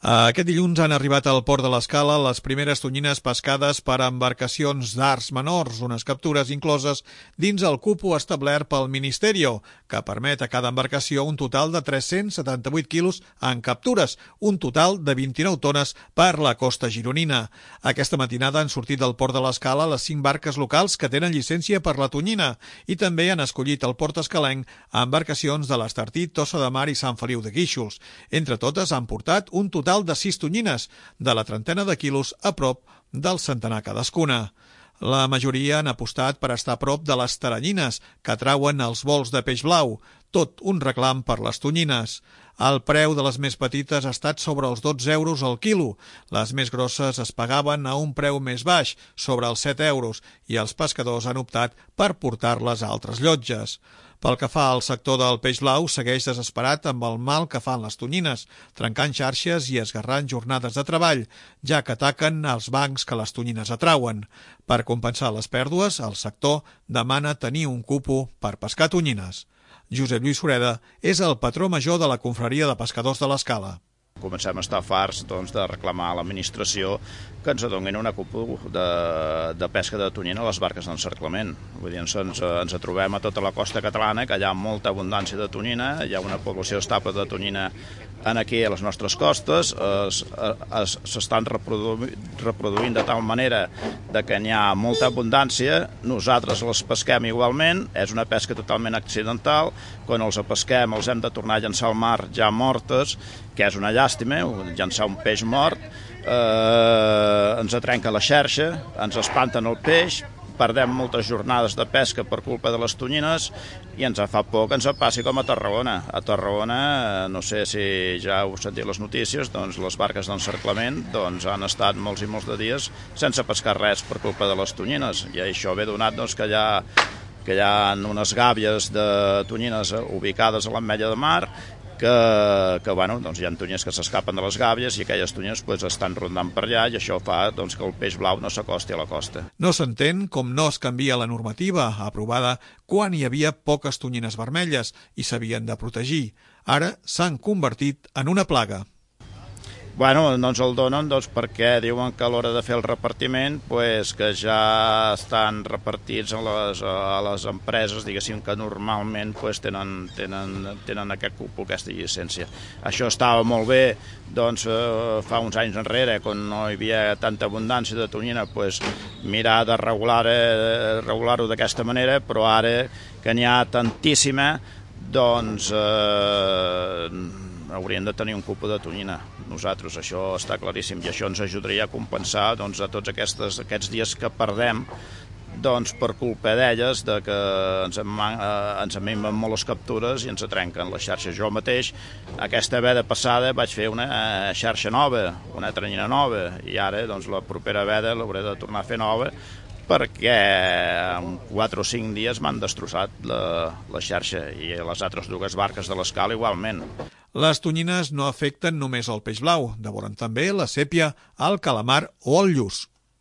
Aquest dilluns han arribat al Port de l'Escala les primeres tonyines pescades per embarcacions d'arts menors, unes captures incloses dins el cupo establert pel Ministerio, que permet a cada embarcació un total de 378 quilos en captures, un total de 29 tones per la costa gironina. Aquesta matinada han sortit del Port de l'Escala les 5 barques locals que tenen llicència per la tonyina i també han escollit el port escalenc a embarcacions de l'Estartit, Tossa de Mar i Sant Feliu de Guíxols. Entre totes han portat un total de 6 tonyines, de la trentena de quilos a prop del centenar cadascuna. La majoria han apostat per estar a prop de les taranyines, que atrauen els vols de peix blau, tot un reclam per les tonyines. El preu de les més petites ha estat sobre els 12 euros al quilo. Les més grosses es pagaven a un preu més baix, sobre els 7 euros, i els pescadors han optat per portar-les a altres llotges. Pel que fa al sector del peix blau, segueix desesperat amb el mal que fan les tonyines, trencant xarxes i esgarrant jornades de treball, ja que ataquen els bancs que les tonyines atrauen. Per compensar les pèrdues, el sector demana tenir un cupo per pescar tonyines. Josep Lluís Sureda és el patró major de la Confraria de Pescadors de l'Escala. Comencem a estar farts de reclamar a l'administració que ens donin una cupo de pesca de tonyina a les barques d'encerclament. Vull dir, ens trobem a tota la costa catalana, que hi ha molta abundància de tonyina, hi ha una població estable de tonyina aquí a les nostres costes, s'estan reproduint de tal manera que n'hi ha molta abundància, nosaltres les pesquem igualment, és una pesca totalment accidental, quan els pesquem els hem de tornar a llançar al mar ja mortes, que és una llàstima, llançar un peix mort, ens trenca la xarxa, ens espanten el peix, perdem moltes jornades de pesca per culpa de les tonyines i ens fa por que ens passi com a Tarragona. A Tarragona, no sé si ja heu sentit les notícies, doncs les barques d'encerclament han estat molts i molts de dies sense pescar res per culpa de les tonyines. I això ve donat que hi ha unes gàbies de tonyines ubicades a l'ametlla de mar que hi ha tonyines que s'escapen de les gàbies i aquelles tonyines estan rondant per allà i això fa que el peix blau no s'acosti a la costa. No s'entén com no es canvia la normativa aprovada quan hi havia poques tonyines vermelles i s'havien de protegir. Ara s'han convertit en una plaga. Bueno, no ens el donen perquè diuen que a l'hora de fer el repartiment que ja estan repartits a les empreses, diguéssim, que normalment tenen aquest cupo, aquesta llicència. Això estava molt bé fa uns anys enrere, quan no hi havia tanta abundància de tonyina, mirar de regular-ho d'aquesta manera, però ara que n'hi ha tantíssima, hauríem de tenir un cupo de tonyina. Nosaltres, això està claríssim, i això ens ajudaria a compensar a tots aquests dies que perdem per culpa d'elles, que ens minven molt les captures i ens trenquen les xarxes. Jo mateix, aquesta veda passada, vaig fer una xarxa nova, una taranyina nova, i ara la propera veda l'hauré de tornar a fer nova, perquè en 4 o 5 dies m'han destrossat la xarxa, i les altres 2 barques de l'Escala igualment. Les tonyines no afecten només el peix blau, devoren també la sèpia, el calamar o el lluç.